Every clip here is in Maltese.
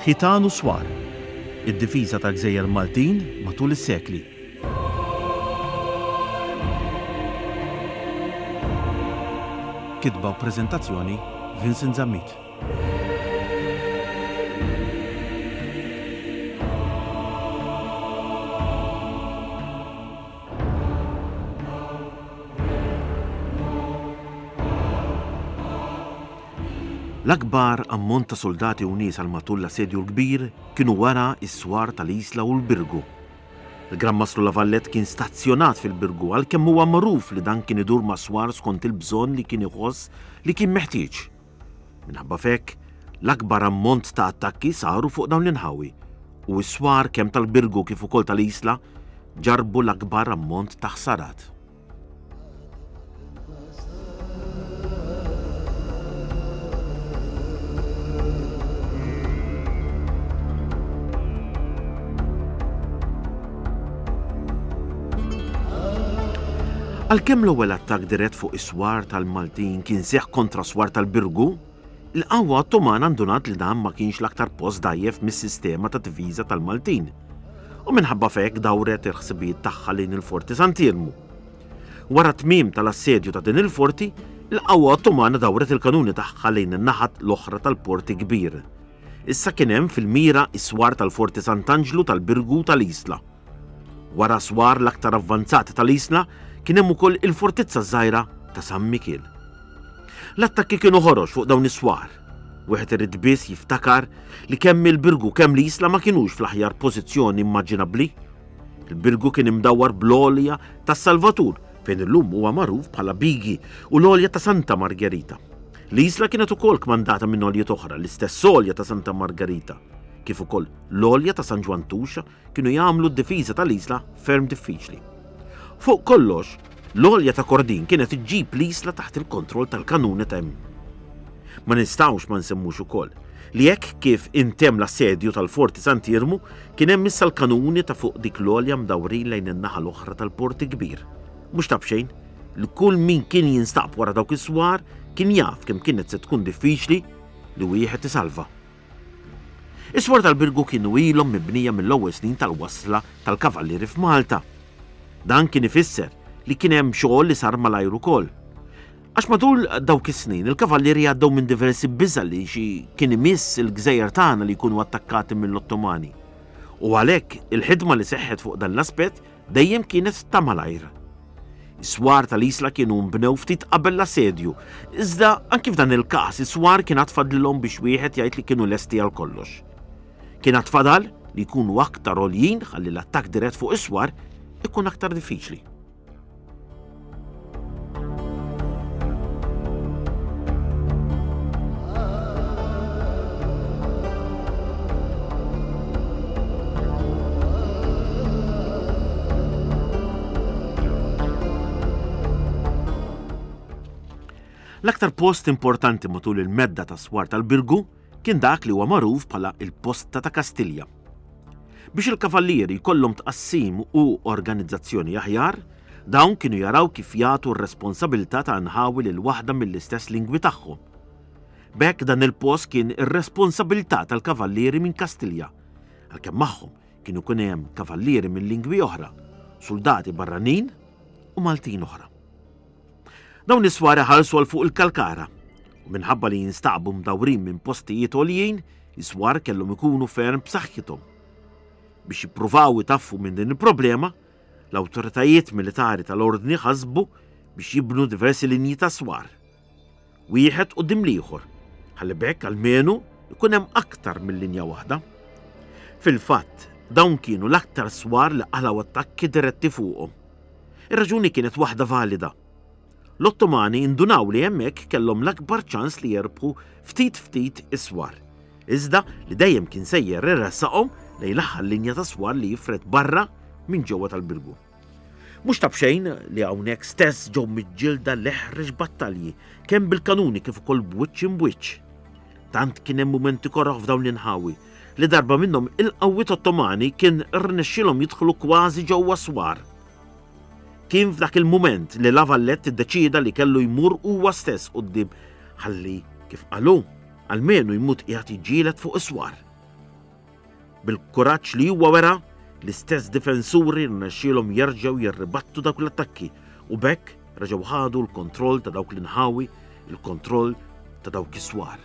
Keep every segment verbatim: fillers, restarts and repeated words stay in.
Ħitan u Swar, id-difiża tal-Gżejjer Maltin matul is-sekli. Kitba u preżentazzjoni Vincent Zammit. L-akbar ammont ta' soldati u nies għal matul l-Assedju l-Kbir kienu wara s-swar tal-Isla u l-Birgu. Il-Gran Mastru La Valette kien stazzjonat fil-Birgu għalkemm huwa magħruf li dan kien idur mas-swar skont il-bżonn li kien iħoss li kien meħtieġ. Minħabba f'hekk, l-akbar ammont ta' attakki saru fuq dawn l-inħawi u s-swar kemm tal-Birgu kif ukoll tal-Isla ġarrbu l-akbar ammont ta' ħsarat. Għalkemm l-ewwel attakk dirett fuq is-swar tal-Maltin kien seħħ kontra swar tal-Birgu, il-qawwa Ottomana ndunat li dan ma kienx l-aktar post dgħajjef mis-sistema ta' difiża tal-Maltin. U minħabba f'hekk dawret il-ħsibijiet tagħha lejn il-Forti Sant'Iermu. Wara t-tmiem tal-assedju ta' din il-forti, il-qawwa Ottomana dawret il-kanuni tagħha lejn in-naħat l-oħra tal-Port Kbir. Issa kien hemm fil-mira s-swar tal-Forti Sant'Anġlu tal-Birgu u tal-Isla. Wara swar l-aktar avvanzati tal-Isla kien hemm ukoll il-fortizza żgħira ta' San Mikiel. L-attakki kienu ħorox fuq dawn is-swar. Wieħed irid biss jiftakar li kemm il-Birgu kemm l-Isla ma kinux fl-aħjar pożizzjoni immaġinabbli. Il-Birgu kien imdawwar bl-għolja tas-Salvatur fejn illum huwa magħruf bħala Bigi u l-għolja ta' Santa Margherita. L-Isla kienet ukoll kmandata minn għoljiet oħra, l-istess għolja ta' Santa Margherita, kif ukoll l-għolja ta' San Ġwann Tuxa kienu jagħmlu d-difiża tal-Isla ferm diffiċli. Fuq kollox, l-għolja ta' Kordin kienet iġġib l-Isla taħt il-kontroll tal-kanuni ta' hemm. Ma nistgħux ma nsemmux ukoll li hekk kif intemm l-assedju tal-Forti Sant'Iermu kien hemm issa l-kanuni ta' fuq dik l-għolja mdawrin lejn in-naħa l-oħra tal-Port Kbir. Mhux ta' b'xejn li kull min kien jinstab wara dawk is-swar kien jaf kemm kienet se tkun diffiċli li wieħed isalva. Is-swar tal-Birgu kienu ilhom mibnija mill-ewwel snin tal-wasla tal-Kavallieri f'Malta. Dan kien ifisser li kien hemm xogħol li sar malajr ukoll. Għax matul dawk is-snin il-Kavallieri għaddew minn diversi biża' li xi kien imiss il-gżejjer tagħna li jkunu attakkati mill-Ottomani. U għalhekk il-ħidma li seħħet fuq dan l-aspett dejjem kienet ta' malajr. Is-swar tal-Isla kienu nbnew ftit qabel l-assedju, iżda anki f'dan il-każ is-swar kien għad fadlilhom biex wieħed jgħid li kienu lesti għal kollox. Kien għad fadal li jkunu aktar għoljin ħalli l-attakk dirett fuq is-swar ikun aktar diffiċli. L-aktar post importanti matul il-medda ta' swar tal-Birgu kien dak li huwa magħruf bħala il-Posta ta' Kastilja. Biex il-kavallieri jkollhom tqassim u organizzazzjoni aħjar, dawn kienu jaraw kif jagħtu r-responsabilità ta' nħawi lil waħda mill-istess lingwi tagħhom. B'hekk dan il-post kien ir-responsabilità tal-kavallieri minn Kastilja, għalkemm magħhom kienu jkun hemm kavallieri minn lingwi oħra, soldati barranin u Maltin oħra. Dawn is-swar iħallsu għal fuq il-Kalkara u minħabba li jinstaqbu mdawrin minn postijiet għoljin, is-swar kellhom ikunu ferm b'saħħithom. Biex jippruvaw itaffu minn din il-problema, l-awtoritajiet militari tal-ordni ħasbu biex jibnu diversi linji ta' swar. Wieħed quddiem l-ieħor, ħalli b'hekk almenu ikun hemm aktar minn linja waħda. Fil-fatt, dawn kienu l-aktar swar li qalgħu attakki diretti fuqhom. Ir-raġuni kienet waħda valida. L-Ottomani indunaw li hemmhekk kellhom l-akbar ċans li jerbħu ftit ftit is-swar. Iżda li dejjem kien sejjer iressaqhom lejn l-aħħar linja ta' swar li jifred barra minn ġewwa tal-Birgu. Mhux ta' b'xejn li hawnhekk stess ġew miġġielda l-eħrex battalji kemm bil-kanuni kif ukoll b'wiċċ imbwiċċ. Tant kien hemm mumenti koroh f'dawn l-inħawi li darba minnhom il-qawwiet Ottomani kien rnexxielhom jidħlu kważi ġewwa swar. Kien f'dak il-mument li La Valette iddeċieda li kellu jmur huwa stess quddiem ħalli kif qalu, almenu jmut qiegħed jiġġieled fuq is-swar. Bil-kuraġġ li huwa wera, l-istess difensuri rnexxielhom jerġgħu jirribattu dawk l-attakki u b'hekk reġgħu ħadu l-kontroll ta' dawk l-inħawi, il-kontroll ta' dawk is-swar.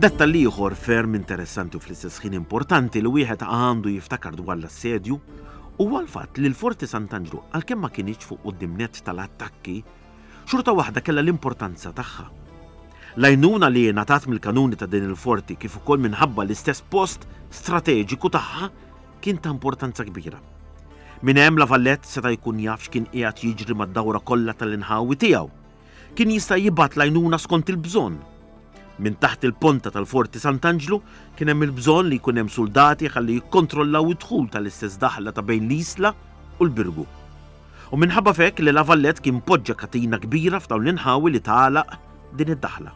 Dettall ieħor ferm interessanti u fl-istess ħin importanti li wieħed għandu jiftakar dwar l-assedju huwa l-fatt li l-Forti Sant'Anġlu, għalkemm ma kinitx fuq quddiem nett tal-attakki, xorta waħda kellha l-importanza tagħha. L-għajnuna li ngħatat mill-kanuni ta' din il-forti kif ukoll minħabba l-istess post strateġiku tagħha kien ta' importanza kbira. Minn hemm La Valette seta' jkun jaf x'kien qiegħed jiġri mad-dawra kollha tal-inħawi tiegħu. Kien jista' jibgħat l-għajnuna skont il-bżonn. Minn taħt il-ponta tal-Forti Sant'Anġlu kien hemm il-bżonn li jkun hemm soldati ħalli jikkontrollaw id-dħul tal-istess daħla ta' bejn l-Isla u l-Birgu. U minħabba f'hekk li La Valette kien poġġa katina kbira f'dawn l-inħawi li tagħlaq din id-daħla.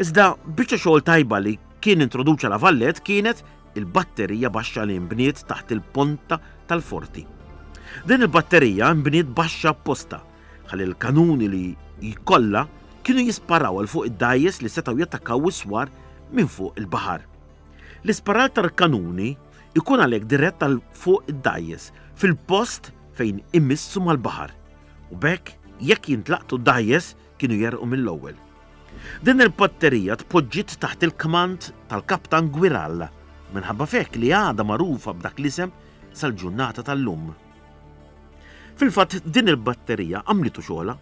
Iżda biċċa xogħol tajba li kien introduċa La Valette kienet il-batterija baxxa li nbniet taħt il-ponta tal-forti. Din il-batterija nbniet baxxa apposta ħalli l-kanuni li jkollha kienu jisparaw għal fuq id-dgħajjes li setgħu jattakkaw is-swar minn fuq il-baħar. L-isparar tal-kanuni ikun għalhekk dirett għal fuq id-dgħajjes fil-post fejn imissu mal-baħar u b'hekk jekk jintlaqtu d-dgħajjes kienu jerqu mill-ewwel. Din il-batterija tpoġġiet taħt il-kmand tal-Kaptan Gwiralla minħabba f'hekk li għadha magħrufa b'dak l-isem sal-ġurnata tal-lum. Fil-fatt din il-batterija għamlitu xogħla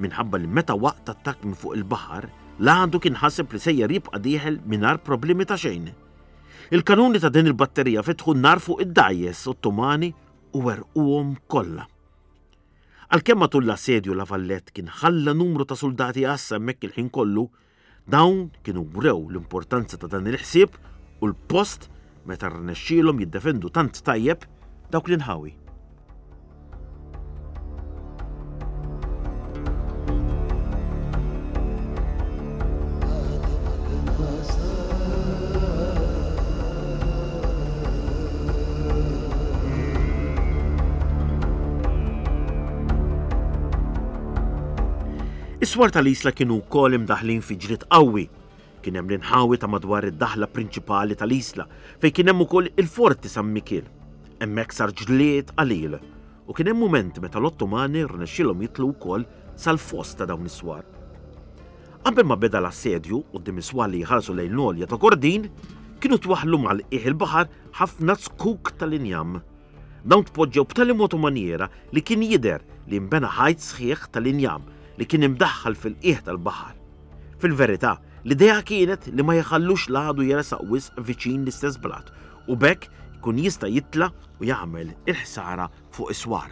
minħabba li meta waqt attakk minn fuq il-baħar, l-għadu kien ħaseb li sejjer jibqa' dieħel mingħajr problemi ta' xejn. Il-kanuni ta' din il-batterija fetħu n-nar fuq id-dgħajjes Ottomani u werquhom kollha. Għalkemm matul l-assedju La Valette kien ħalla numru ta' soldati għassa hemmhekk il-ħin kollu, dawn kienu wrew l-importanza ta' dan il-ħsieb u l-post meta rnexxielhom jiddefendu tant tajjeb dawk l-inħawi. Is-swar tal-Isla kienu wkoll imdaħlin fi ġlied qawwi. Kien hemm l-inħawi ta' madwar id-daħla prinċipali tal-Isla, fejn kien hemm ukoll il-Forti San Mikiel. Hemmhekk sar ġlied qalil u kien hemm mument meta l-Ottomani rnexxielhom jitlu wkoll sal-fost ta' dawn is-swar. Qabel ma beda l-assedju quddiem is-swar li jħarsu lejn l-għolja ta' Kordin, kienu twaħħlu mal-qiegħ il-baħar ħafna zkuk tal-injam. Dawn tpoġġew b'tali mod u manjera li kien jidher li nbena ħajt sħiħ tal-injam li kien imdaħħal fil-qiegħ tal-baħar. Fil-verità, l-idea kienet li ma jħallux l-għadu jersaq wisq viċin l-istess blat u b'hekk ikun jista' jitla' u jagħmel il-ħsara fuq is-swar.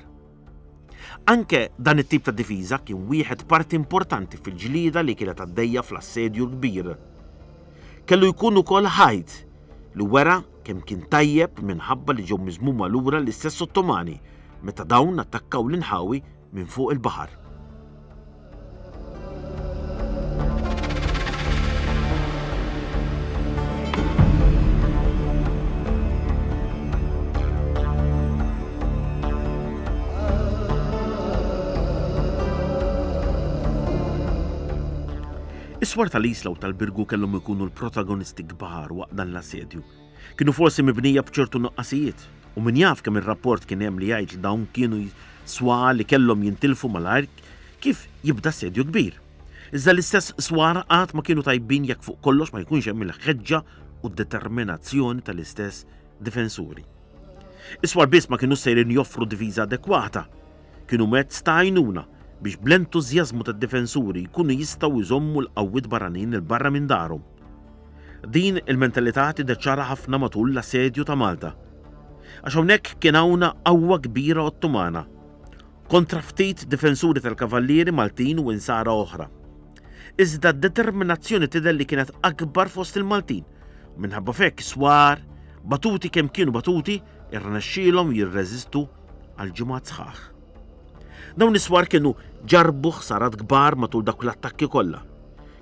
Anke dan it-tip ta' difiża kien wieħed parti importanti fil-ġlieda li kienet għaddejja fl-assedju l-kbir. Kellu jkun ukoll ħajt li wera kemm kien tajjeb minħabba li ġew miżmuma lura l-istess Ottomani meta dawn attakkaw l-inħawi minn fuq il-baħar. Is-swar tal-Isla u tal-Birgu kellhom ikunu l-protagonisti kbar waqt dan l-assedju. Kienu forsi mibnija b'ċertu nuqqasijiet, u min jaf kemm ir-rapport kien hemm li jgħid li dawn kienu swar li kellhom jintilfu malajr kif jibda assedju kbir. Iżda l-istess swar qatt ma kienu tajbin jekk fuq kollox ma jkunx hemm il-ħeġġa u d-determinazzjoni tal-istess difensuri. Is-swar biss ma kienu sejrin joffru difiża adekwata, kienu mezz ta' għajnuna biex bl-entużjażmu tad-difensuri jkunu jistgħu jżommu l-qawwiet barranin il barra minn darhom. Din il-mentalità tidher ċara ħafna matul l-assedju ta' Malta. Għax hawnhekk kien hawn qawwa kbira Ottomana kontra ftit difensuri tal-kavallieri Maltin u insara oħra. Iżda d-determinazzjoni tidher li kienet akbar fost il-Maltin. Minħabba f'hekk swar, batuti kemm kienu batuti, irnexxielhom jirreżistu għal ġimgħat sħaħ. Dawn is-swar kienu ġarrbu ħsarat kbar matul dawk l-attakki kollha.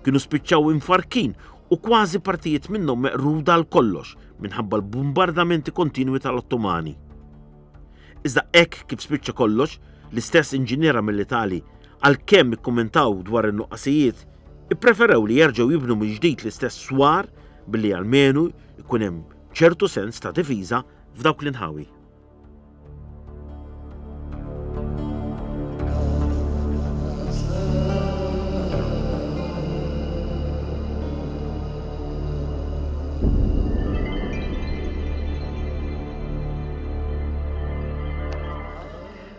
Kienu spiċċaw imfarrkin u kważi partijiet minnhom meqruda għal kollox minħabba l-bombardamenti kontinwi tal-Ottomani. Iżda hekk kif spiċċa kollox, l-istess inġiniera militari, għalkemm ikkummentaw dwar in-nuqqasijiet, ippreferew li jerġgħu jibnu mill-ġdid l-istess swar billi almenu jkun hemm ċertu sens ta' difiża f'dawk l-inħawi.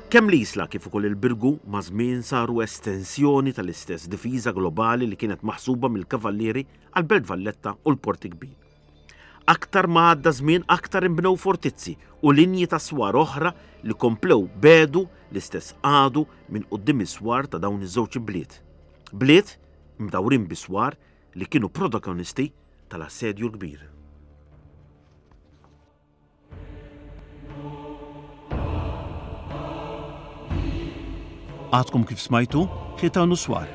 Kemm l-Isla kif ukoll il-Birgu maż-żmien saru estensjoni tal-istess difiża globali li kienet maħsuba mill-Kavallieri għall-Belt Valletta u l-Port il-Kbir. Aktar ma għadda żmien aktar inbnew fortizzi u linji ta' swar oħra li komplew bedu l-istess għadu minn quddiem is-swar ta' dawn iż-żewġ bliet. Bliet imdawrin bi swar li kienu protagonisti tal-Assedju l-Kbir. Għadkom kif smajtu Ħitan u Swar,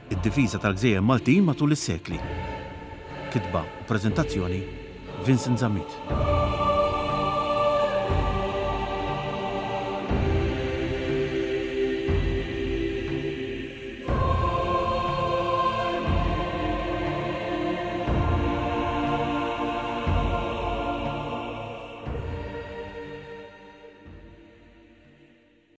id-difiża tal-gżejjer Maltin matul is-sekli. Kitba u preżentazzjoni Vincent Zammit.